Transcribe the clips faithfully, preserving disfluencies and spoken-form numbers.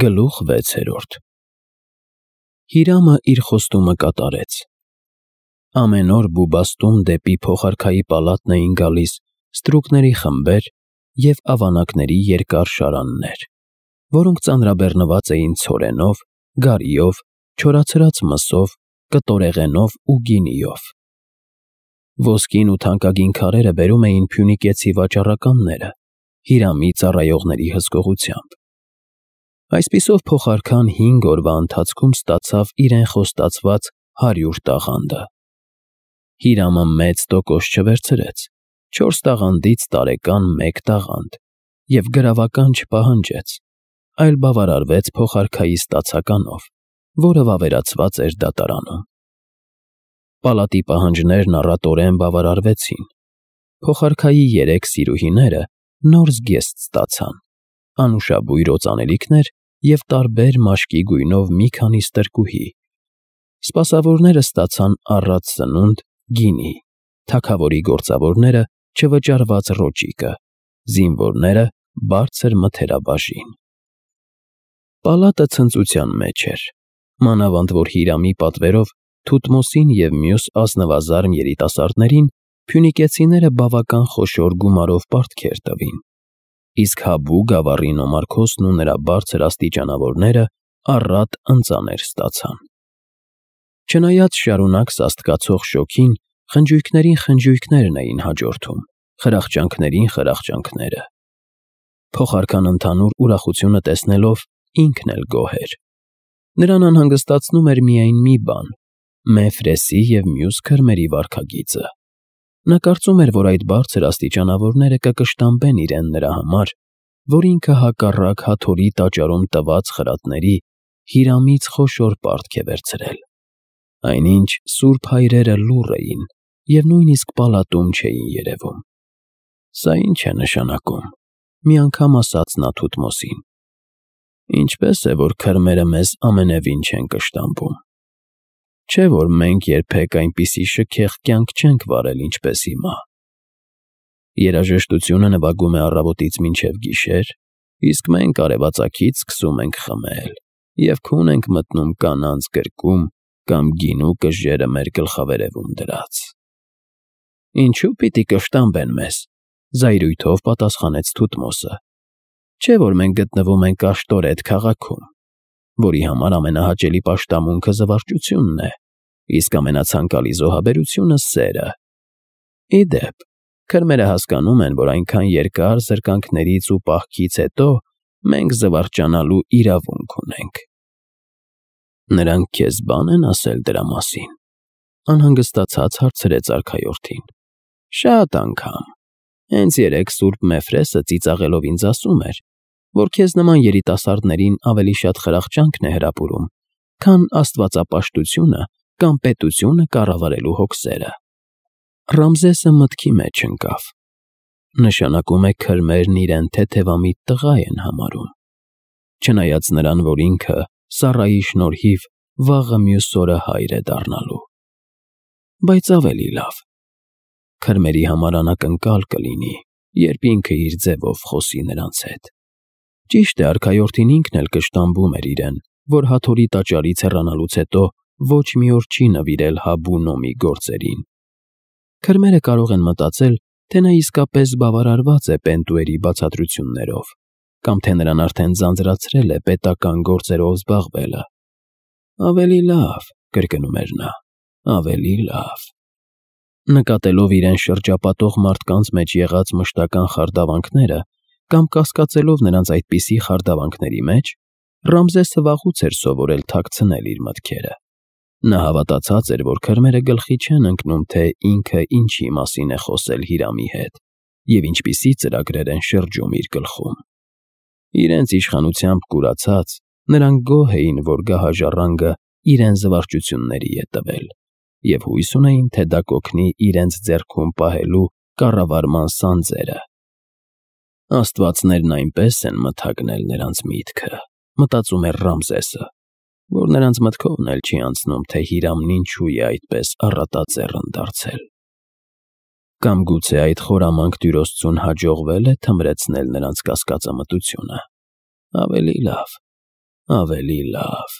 Գլուխ վեցերորդ Հիրամը իր խոստումը կատարեց։ Ամեն օր Բուբաստում դեպի փոխարքայի պալատն էին գալիս ստրուկների խմբեր և ավանակների երկար շարաններ, որոնք ծանրաբեռնված էին ցորենով, գարիով, չորացրած մսով, կտորեղենով ու գինիով։ Ոսկին ու թանկագին քարերը բերում էին Փյունիկեցի վաճառականները Հիրամի ծառայողների հսկողությամբ։ Այսպիսով փոխարքան հինգ օրվա ընթացքում ստացավ իրեն խոստացված հարյուր տաղանդը։ Հիրամը մեծ տոկոս չվերցրեց, չորս տաղանդից տարեկան մեկ տաղանդ և գրավական չպահանջեց, այլ բավարարվեց փոխարքայի ստացականով, որը վավերացված էր դատարանում։ Պալատի պահանջներն առատորեն բավարարվեցին։ Փոխարքայի երեք սիրուհիները նոր զգեստ ստացան, անուշաբույր օծանելիքներ և տարբեր մաշկի գույնով մի քանի ստրկուհի։ Սպասավորները ստացան առատ սնունդ, գինի, թագավորի գործավորները՝ չվճարված ռոճիկը, զինվորները՝ բարձր մթերաբաժին։ Պալատը ցնծության մեջ էր, մանավանդ որ Հիրամի պատվերով Թութմոսին և մյուս ազնվազարմ երիտասարդներին փյունիկեցիները բավական խոշոր գումարով պարտքեր տվին, իսկ Հաբու գավառի նոմարքոսն ու նրա բարձր աստիճանավորները առատ ընծաներ ստացան։ Չնայած շարունակ սաստկացող շոգին, խնջույքներին խնջույքներն էին հաջորդում, խրախճանքներին խրախճանքները։ Փոխարքան ընդհանուր ուրախությունը տեսնելով ինքն էլ գոհ էր։ Նրան անհանգստացնում էր միայն մի բան՝ Մեֆրեսի և մյուս քրմերի վարքագիծը։ Նա կարծում էր, որ այդ բարձր աստիճանավորները կկշտամբեն իրեն նրա համար, որ ինքը հակառակ Հաթորի տաճարում տված խրատների Հիրամից խոշոր պարտք է վերցրել։ Այնինչ սուրբ հայրերը լուռ էին և նույնիսկ պալատում չէին երևում։ Սա ի՞նչ է նշանակում,֊ մի անգամ ասաց նա Թութմոսին։ Ինչպե՞ս է, որ քրմերը մեզ ամենևին չեն կշտամբում։ Չէ՞ որ մենք երբեք այնպիսի շքեղ կյանք չենք վարել, ինչպես հիմա։ Երաժշտությունը նվագում է առավոտից մինչև գիշեր, իսկ մենք արևածագից սկսում ենք խմել և քուն ենք մտնում կանանց գրկում կամ գինու կժերը մեր գլխավերևում դրած։ Ինչո՞ւ պիտի կշտամբեն մեզ,֊ զայրույթով պատասխանեց Թութմոսը։ Չէ՞ որ մենք գտնվում ենք Աշտորեթ քաղաքում, որի համար ամենահաճելի պաշտամունքը զվարճությունն է, իսկ ամենացանկալի զոհաբերությունը սերը։ Ի դեպ, քրմերը հասկանում են, որ այնքան երկար զրկանքներից ու պահքից հետո մենք զվարճանալու իրավունք ունենք։ Նրանք քեզ բան են ասել դրա մասին,֊ անհանգստացած հարցրեց արքայորդին։ Շատ անգամ։ Հենց երեկ սուրբ Մեֆրեսը ծիծաղելով ինձ ասում էր, որ քեզ նման երիտասարդներին ավելի շատ խրախճանքն է հրապուրում, քան աստվածապաշտությունը կամ պետությունը կառավարելու հոգսերը։ Ռամզեսը մտքի մեջ ընկավ։ Նշանակում է քրմերն իրեն թեթևամիտ տղա են համարում։ Չնայած նրան, որ ինքը Սառայի շնորհիվ վաղը մյուս օրը հայր է դառնալու։ Բայց ավելի լավ։ Քրմերի համար անակնկալ կլինի, երբ ինքը իր ձևով խոսի նրանց հետ։ Ճիշտ է, արքայորդին ինքն էլ կշտամբում էր իրեն, որ Հաթորի տաճարից հեռանալուց հետո ոչ մի օր չի նվիրել Հաբու նոմի գործերին։ Քրմերը կարող են մտածել, թե նա իսկապես բավարարված է Պենտուերի բացատրություններով, կամ թե նրան արդեն ձանձրացրել է պետական գործերով զբաղվելը։ Ավելի լավ,֊ կրկնում էր նա,֊ ավելի լավ։ Նկատելով իրեն շրջապատող մարդկանց մեջ եղած մշտական խարդավանքները կամ կասկածելով նրանց այդպիսի խարդավանքների մեջ, Ռամզեսը վաղուց էր սովորել թաքցնել իր մտքերը։ Նա հավատացած էր, որ քրմերը գլխի չեն ընկնում, թե ինքը ինչի մասին է խոսել Հիրամի հետ և ինչպիսի ծրագրեր են շրջում իր գլխում։ Իրենց իշխանությամբ կուրացած, նրանք գոհ էին, որ գահաժառանգը իրեն զվարճությունների է տվել և հույս ունեին, թե դա կօգնի իրենց ձեռքում պահելու կառավարման սանձերը։ Աստվածներն այնպես են մթագնել նրանց միտքը, մտածում էր Ռամզեսը, որ նրանց մտքովն էլ չի անցնում, թե Հիրամն ինչու է այդպես առատաձեռն դարձել։ Կամ գուցե այդ խորամանկ տյուրոսցուն հաջողվել է թմրեցնել նրանց կասկածամտությունը։ Ավելի լավ։ ավելի լավ։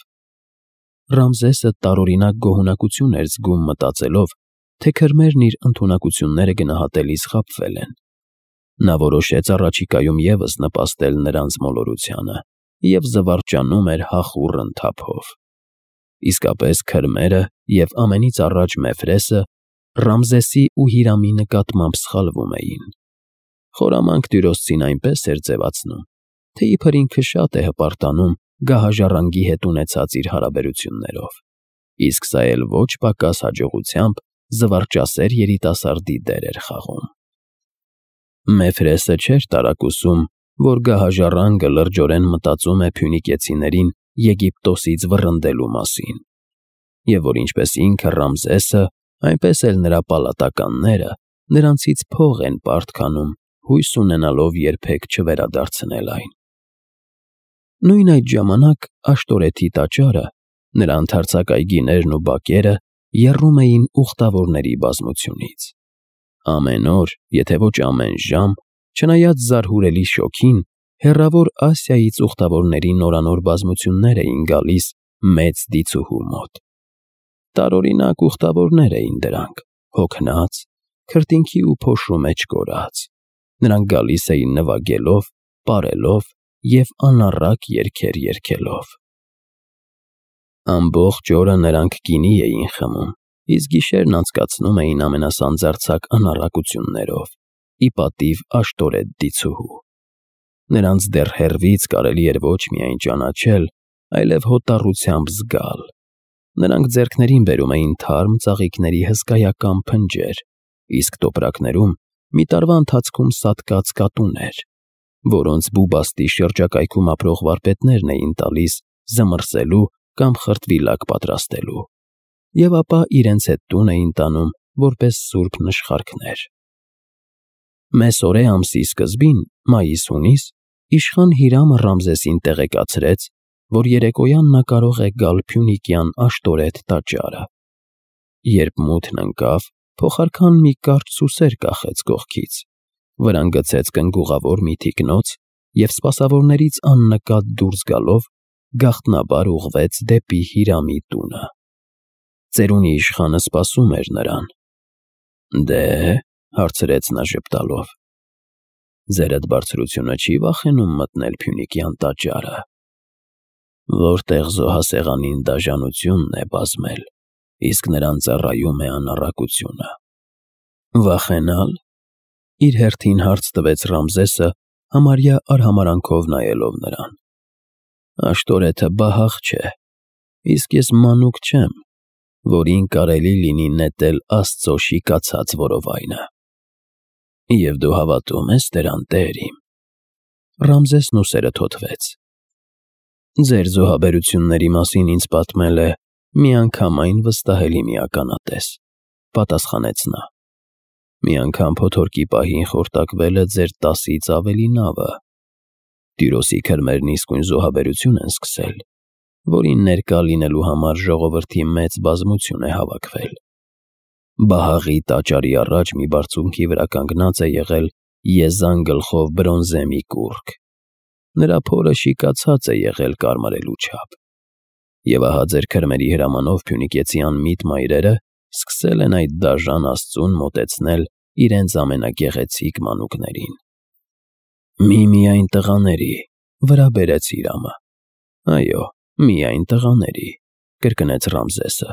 Ռամզեսը տարօրինակ գոհունակություն էր զգում մտածելով, թե քրմերն իր ընդունակությունները գնահատելիս խաբվել են։ Նա որոշեց առաջիկայում ևս նպաստել նրանց մոլորությանը և զվարճանում էր հախուռն թափով։ Իսկապես քրմերը և ամենից առաջ Մեֆրեսը Ռամզեսի ու Հիրամի նկատմամբ սխալվում էին։ Խորամանկ տիրոսցին այնպես էր ձևացնում, թե իբր ինքը շատ է հպարտանում գահաժառանգի հետ ունեցած իր հարաբերություններով, իսկ սա էլ ոչ պակաս հաջողությամբ զվարճասեր երիտասարդի դեր էր խաղում։ Մեֆրեսը չէր տարակուսում, որ գահաժառանգը լրջորեն մտածում է փյունիկեցիներին Եգիպտոսից վռնդելու մասին, և որ ինչպես ինքը Ռամզեսը, այնպես էլ նրա պալատականները նրանցից փող են պարտ քանում, հույս ունենալով երբեք չվերադարձնել այն։ Նույն այդ ժամանակ Աշտորեթի տաճարը, նրա ընդարձակ այգիներն ու բակերը եռում էին ուխտավորների բազմությունից։ Ամեն օր, եթե ոչ ամեն ժամ, չնայած զարհուրելի շոգին, հեռավոր Ասիայից ուխտավորների նորանոր բազմություններ էին գալիս մեծ դիցուհու մոտ։ Տարօրինակ ուխտավորներ էին դրանք, հոգնած, քրտինքի ու փոշու մեջ կորած։ Նրանք գալիս էին նվագելով, պարելով և անառակ երգեր երգելով։ Ամբողջ օրը նրանք գինի էին խմում, իսկ գիշերն անցկացնում էին ամենասանձարձակ անառակություններով, ի պատիվ Աշտորեթ դիցուհու։ Նրանց դեռ հեռվից կարելի էր ոչ միայն ճանաչել, այլև հոտառությամբ զգալ։ Նրանք ձեռքներին բերում էին թարմ ծաղիկների հսկայական փնջեր, իսկ տոպրակներում մի տարվա ընթացքում սատկած կատուներ, որոնց բուբաստի շրջակայքում ապրող վարպետներն էին տալիս զմռսելու կամ խրտվիլակ պատրաստելու, և ապա իրենց հետ տուն էին տանում որպես սուրբ նշխարքներ։ Մեսորե ամսի սկզբին, մայիս֊հունիս, իշխան Հիրամը Ռամզեսին տեղեկացրեց, որ երեկոյան նա կարող է գալ փյունիկյան Աշտորեթ տաճարը։ Երբ մութն ընկավ, փոխարքան մի կարճ սուսեր կախեց կողքից, վրան գցեց կնգուղավոր մի թիկնոց և սպասավորներից աննկատ դուրս գալով գաղտնաբար ուղղվեց դեպի Հիրամի տունը։ Ծերունի իշխանը սպասում էր նրան։ «Դե՞,» հարցրեց նա ժպտալով, «ձերդ բարձրությունը չի վախենում մտնել փյունիկյան տաճարը, որտեղ զոհասեղանին դաժանությունն է բազմել, իսկ նրան ծառայում է անառակությունը»։ «Վախենալ», իր հերթին հարց տվեց Ռամզեսը, համարյա արհամարհանքով նայելով նրան։ «Աշտորեթը բահաղ չէ, իսկ ես մանուկ չեմ, որին կարելի լինի նետել Աստծո շիկացած որովայնը»։ «Եվ դու հավատո՞ւմ ես դրան, տեր իմ»։ Ռամզեսն ուսերը թոթվեց։ «Ձեր զոհաբերությունների մասին ինձ պատմել է միանգամայն վստահելի մի ականատես», պատասխանեց նա։ «Մի անգամ փոթորկի պահին խորտակվել է ձեր տասից ավելի նավը։ Տիրոսի քրմերն իսկույն զոհաբերություն են սկսել, որին ներկա լինելու համար ժողովրդի մեծ բազմություն է հավաքվել։ Բահաղի տաճարի առաջ մի բարձունքի վրա կանգնած է եղել եզան գլխով բրոնզե մի կուռք։ Նրա փորը շիկացած է եղել կարմարելու չափ։ Եվ ահա ձեր քրմերի հրամանով փյունիկեցի անմիտ մայրերը սկսել են այդ դաժան աստծուն մոտեցնել իրենց ամենագեղեցիկ մանուկներին»։ «Միմիայն տղաների», վրա բերեց Հիրամը։ «Այո, միայն տղաների», կրկնեց Ռամզեսը։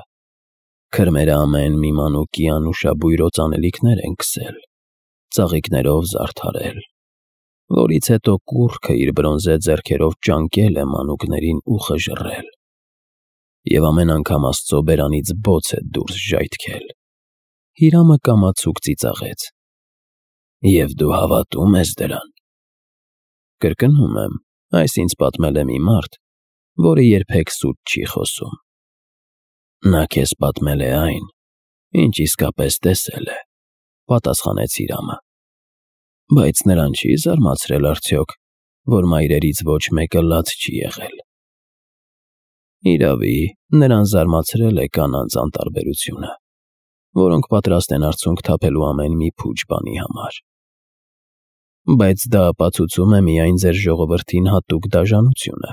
«Քրմերը ամեն մի մանուկի անուշաբույր օծանելիքներ են քսել, ծաղիկներով զարդարել, որից հետո կուռքը իր բրոնզե ձեռքերով ճանկել է մանուկներին ու խժռել, և ամեն անգամ Աստծո բերանից բոց է դուրս ժայթքել»։ Հիրամը կամացուկ ծիծաղեց։ «Եվ դու հավատո՞ւմ ես դրան»։ «Կրկնում եմ, այս ինձ պատմել է մի մարդ, որը երբեք սուտ չի խոսում»։ «Նա քեզ պատմել է այն, ինչ իսկապես տեսել է», պատասխանեց Հիրամը։ «Բայց նրան չի՞ զարմացրել արդյոք, որ մայրերից ոչ մեկը լաց չի եղել»։ «Իրավի, նրան զարմացրել է կանանց անտարբերությունը, որոնք պատրաստ են արցունք թափելու ամեն մի փուչ բանի համար։ Բայց դա ապացուցում է միայն ձեր ժողովրդին հատուկ դաժանությունը։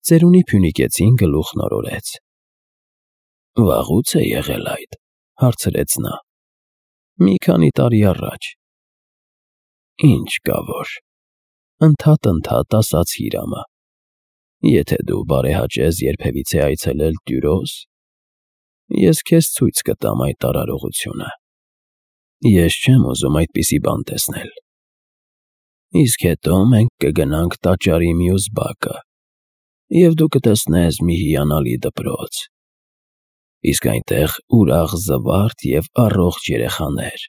Ծերունի Փյունիկեցին գլուխն օրորեց։ Վաղուց է եղել այդ, հարցրեց նա։ Մի քանի տարի առաջ։ Ինչ կա որ, ընդհատ-ընդհատ ասաց Հիրամը։ Եթե դու բարեհաճես երբևիցե այցելել Տյուրոս, ես քեզ ցույց կտամ այդ արարողությունը։ Ես չեմ ուզում այդպիսի բան տեսնել։ Իսկ հետո մենք կգնանք տաճարի մյուս բակը, և դու կտեսնես մի հիանալի դպրոց։ Իսկ այնտեղ ուրախ զվարթ և առողջ երեխաներ։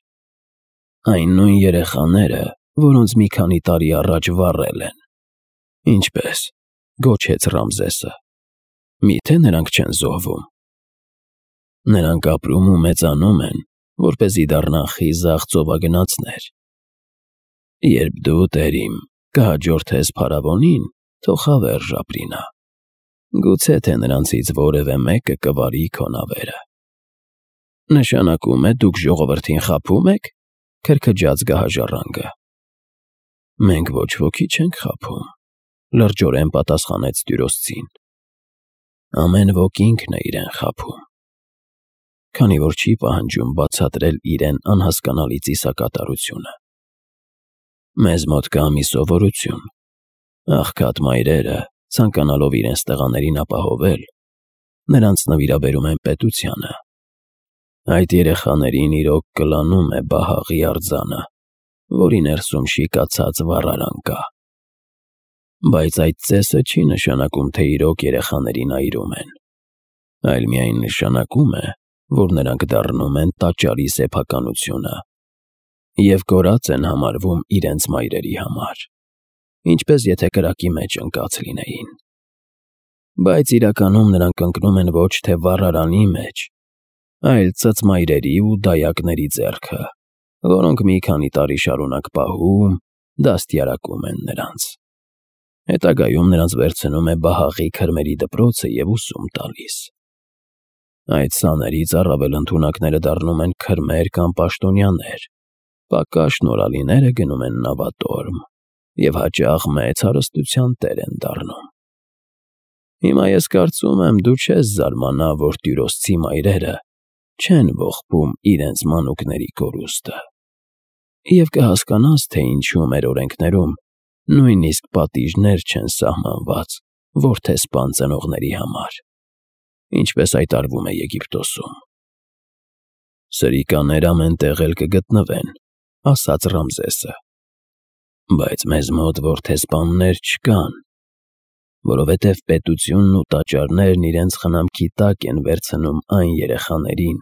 Այն նույն երեխաները, որոնց մի քանի տարի առաջ վառել են։ Ինչպե՞ս, գոչեց Ռամզեսը։ Միթե նրանք չեն զոհվում։ Նրանք ապրում ու մեծանում են, որպեսզի դառնան խիզախ ծովագնացներ։ Երբ դու, տերիմ, կհաջորդես փարավոնին, թող հավերժ ապրի նա։ Գուցե թե նրանցից որևէ մեկը կվարի քո նավերը։ Նշանակում է դուք ժողովրդին խաբում եք, քրքջաց գահաժառանգը։ Մենք ոչ ոքի չենք խաբում, լրջորեն պատասխանեց տյուրոսցին։ Ամեն ոք ինքն է իրեն խաբում, քանի որ չի պահանջում բացատրել իրեն անհասկանալի ծիսակատարությունը։ Մեզ մոտ կա մի սովորություն. աղքատ մայրերը, ցանկանալով իրենց տղաներին ապահովել, նրանց նվիրաբերում են պետությանը։ Այդ երեխաներին իրոք կլանում է բահաղի արձանը, որի ներսում շիկացած վառարան կա։ Բայց այդ ծեսը չի նշանակում, թե իրոք երեխաներին այրում են, այլ միայն նշանակում է, որ նրանք դառնում են տաճարի սեփականությունը և կորած են համարվում իրենց մայրերի համար, ինչպես եթե կրակի մեջ ընկած լինեին։ Բայց իրականում նրանք ընկնում են ոչ թե վառարանի մեջ, այլ ծծմայրերի ու դայակների ձեռքը, որոնք մի քանի տարի շարունակ պահում, դաստիարակում են նրանց։ Հետագայում նրանց վերցնում է բահաղի քրմերի դպրոցը և ուսում տալիս։ Այդ սաներից առավել ընդունակները դառնում են քրմեր կամ պաշտոնյաներ, պակաս շնորհալիները գնում են նավատորմ և հաճախ մեծ հարստության տեր են դառնում։ Հիմա ես կարծում եմ, դու չես զարմանա, որ տյուրոսցի մայրերը չեն ողբում իրենց մանուկների կորուստը, և կհասկանաս, թե ինչու մեր օրենքներում նույնիսկ պատիժներ չեն սահմանված որդեսպան ծնողների համար, ինչպես այդ արվում է Եգիպտոսում։ Սրիկաներ ամեն տեղ էլ կգտնվեն, ասաց Ռամզեսը, բայց մեզ մոտ որդեսպաններ չկան, որովհետև պետությունն ու տաճարներն իրենց խնամքի տակ են վերցնում այն երեխաներին,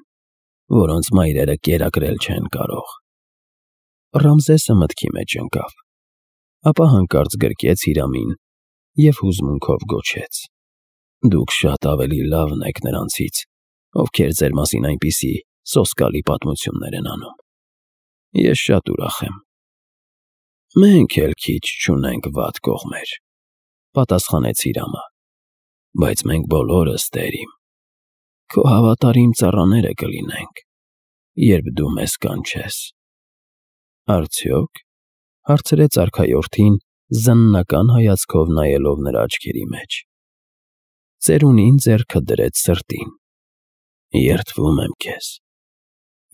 որոնց մայրերը կերակրել չեն կարող։ Ռամզեսը մտքի մեջ ընկավ, ապա հանկարծ գրկեց Հիրամին և հուզմունքով գոչեց. Դուք շատ ավելի լավն եք նրանցից, ովքեր ձեր մասին այնպիսի սոսկալի պատմություններ են անում։ Ես շատ ուրախ եմ։ Մենք էլ քիչ չունենք վատ կողմեր, պատասխանեց Հիրամը, բայց մենք բոլորս, տերիմ, քո հավատարիմ ծառաները կլինենք, երբ դու մեզ կանչես։ Արդյոք, հարցրեց արքայորդին, զննական հայացքով նայելով նրա աչքերի մեջ։ Ծերունին ձեռքը դրեց սրտին։ Երդվում եմ քեզ,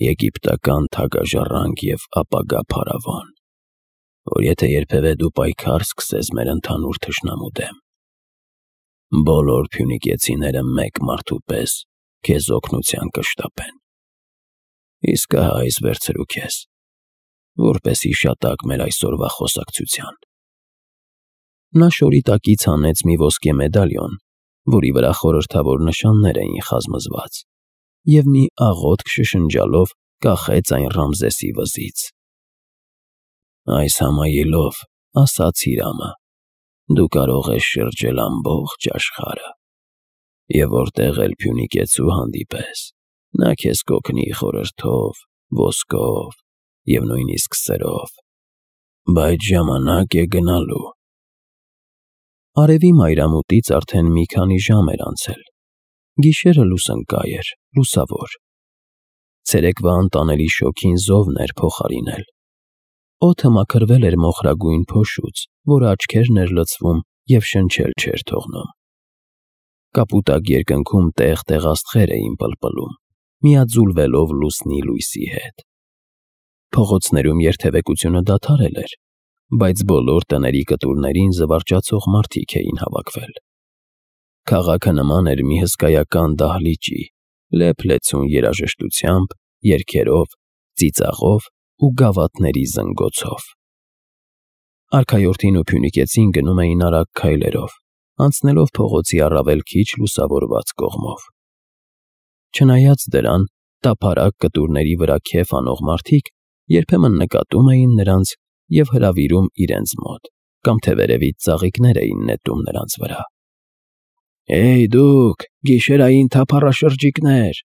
եգիպտական թագաժառանգ և ապագա փարավոն, որ եթե երբևէ դու պայքար սկսես մեր ընդհանուր թշնամու դեմ, բոլոր փյունիկեցիները մեկ մարդու պես քեզ օգնության կշտապեն։ Իսկ ահա այս վերցրու քեզ, որպես հիշատակ մեր այսօրվա խոսակցության։ Նա շորի տակից հանեց մի ոսկե մեդալիոն, որի վրա խորհրդավոր նշաններ էին խազմզված, և մի աղոթք շշնջալով կախեց այն Ռամզեսի վզից։ Այս համայելով, ասաց Հիրամը, դու կարող ես շրջել ամբողջ աշխարհը, և որտեղ էլ փյունիկեցու հանդիպես, նա քեզ կօգնի խորհրդով, ոսկով և նույնիսկ սրով, բայց ժամանակ է գնալու։ Արևի մայրամուտից արդեն մի քանի ժամ էր անցել, գիշերը լուսնկայ էր, լուսավոր։ Ցերեկվա անտանելի շոգին զովն էր փոխարինել։ Օդը մաքրվել էր մոխրագույն փոշուց, որը աչքերն էր լցվում և շնչել չէր թողնում։ Կապուտակ երկնքում տեղ-տեղ աստղեր էին պլպլում, միաձուլվելով լուսնի լույսի հետ։ Փողոցներում երթևեկությունը դադարել էր, բայց բոլոր տների կտուրներին զվարճացող մարդիկ էին հավաքվել։ Քաղաքը նման էր մի հսկայական դահլիճի, լեփ-լեցուն երաժշտությամբ, երգերով, ծիծաղով ու գավաթների զնգոցով։ Արքայորդին ու Փյունիկեցին գնում էին արագ քայլերով, անցնելով փողոցի առավել քիչ լուսավորված կողմով։ Չնայած դրան, տափարակ կտուրների վրա քեֆ անող մարդիկ երբեմն նկատում էին նրանց և հրավիրում իրենց մոտ, կամ թե վերևից ծաղիկներ էին նետում նրանց վրա։ «Հեյ դուք, գիշերային թափառաշրջիկներ»,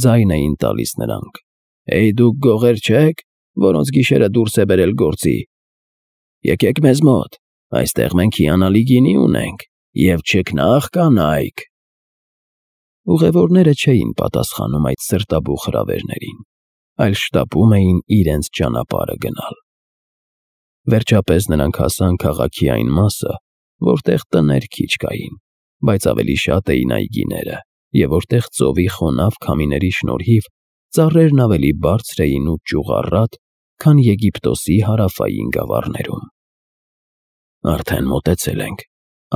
ձայն էին տալիս նրանք, «Հեյ դուք գողեր չե՞ք, որոնց գիշերը դուրս է բերել գործի։ Եկեք մեզ մոտ, այստեղ մենք հիանալի գինի ունենք և չքնաղ կանայք»։ Ուղևորները չէին պատասխանում այդ սրտաբուխ հրավերներին, այլ շտապում էին իրենց ճանապարհը գնալ։ Վերջապես նրանք հասան քաղաքի այն մասը, որտեղ տներ քիչ կային, բայց ավելի շատ էին այգիները, և որտեղ ծովի խոնավ քամիների շնորհիվ ծառերն ավելի բարձր էին ու ճյուղառատ, քան Եգիպտոսի հարավային գավառներում։ «Արդեն մոտեցել ենք»,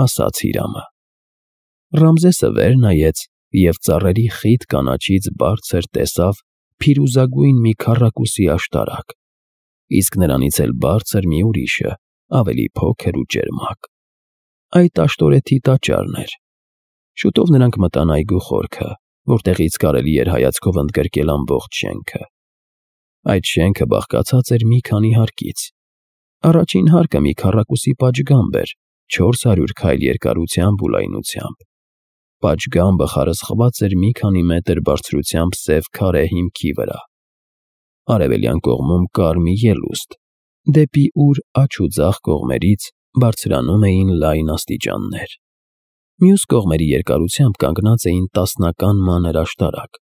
ասաց Հիրամը։ Ռամզեսը վեր նայեց և ծառերի խիտ կանաչից բարձր տեսավ փիրուզագույն մի քառակուսի աշտարակ, իսկ նրանից էլ բարձր մի ուրիշը, ավելի փոքր ու ճերմակ։ Այդ աշտորեթի տաճարն էր։ Շուտով նրանք մտան այգու խորքը, որտեղից կարելի էր հայացքով ընդգրկել ամբողջ շենքը։ Այդ շենքը բաղկացած էր մի քանի հարկից։ Առաջին հարկը մի քառակուսի պատշգամբ էր, չորս հարյուր քայլ երկարությամբ ու լայնությամբ։ Պատշգամբը խարսխված էր մի քանի մետր բարձրությամբ սև քարե հիմքի վրա։ Արևելյան կողմում կար մի ելուստ, դեպի ուր աջ ու ձախ կողմերից բարձրանում էին լայն աստիճաններ։ Մյուս կողմերի երկարությամբ կանգնած էին տասնական մանր աշտարակ։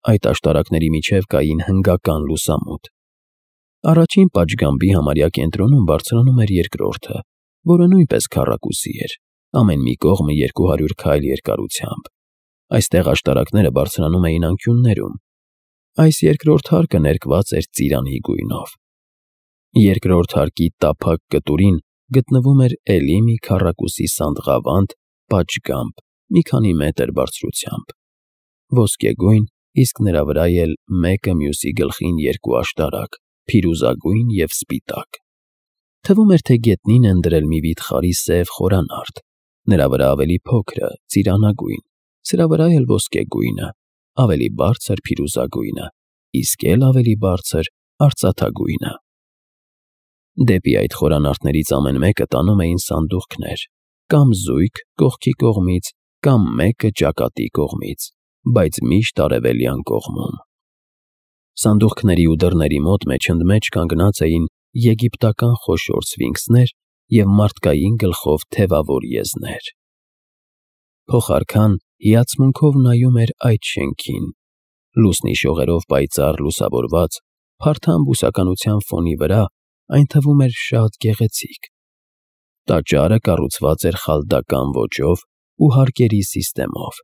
Այդ աշտարակների միջև կային հնգական լուսամուտ։ Առաջին պատշգամբի համարյա կենտրոնում բարձրանում էր երկրորդը, որը նույնպես քառակուսի էր, ամեն մի կողմը երկու հարյուր քայլ երկարությամբ։ Այստեղ աշտարակները բարձրանում էին անկյուններում։ Այս երկրորդ հարկը ներկված էր ծիրանի գույնով։ Երկրորդ հարկի տափակ կտուրին գտնվում էր էլի մի քառակուսի սանդղավանդ պատշգամբ մի քանի մետր բարձրությամբ, ոսկեգույն, իսկ նրա վրա էլ մեկը մյուսի գլխին երկու աշտարակ, փիրուզագույն և սպիտակ։ Թվում էր, թե գետնին են դրել մի վիթխարի սև խորանարդ, նրա վրա ավելի փոքրը, ծիրանագույն, սրա վրա էլ ոսկեգույնը, ավելի բարձր փիրուզագույնը, իսկ էլ ավելի բարձր արծաթագույնը։ Դեպի այդ խորանարդներից ամեն մեկը տանում էին սանդուղքներ, կամ զույգ կողքի կողմից, կամ մեկը ճակատի կողմից, բայց միշտ արևելյան կողմում։ Սանդուղքների ու դռների մոտ մեջընդմեջ կանգնած էին եգիպտական խոշոր սֆինքսներ և մարդկային գլխով թևավոր եզներ։ Փողարքան հիացմունքով նայում էր այդ շենքին։ Լուսնի շողերով պայծառ լուսավորված, փարթամ բուսականության ֆոնի վրա այն թվում էր շատ գեղեցիկ։ Տաճարը կառուցված էր խալդական ոճով ու հարկերի սիստեմով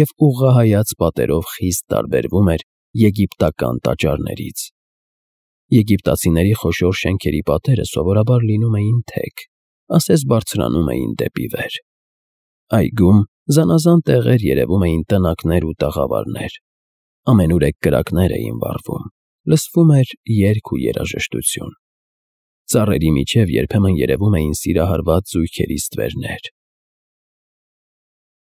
և ուղղահայաց պատերով խիստ տարբերվում էր եգիպտական տաճարներից։ Եգիպտացիների խոշոր շենքերի պատերը սովորաբար լինում էին թեք, ասես բարձրանում էին դեպի վեր։ Այգում զանազան տեղեր երևում էին տնակներ ու տաղավարներ։ Ամենուրեք կրակներ էին վառվում, լսվում էր երգ ու երաժշտություն։ Ծառերի միջև երբեմն երևում էին սիրահարված զույգերի ստվերներ։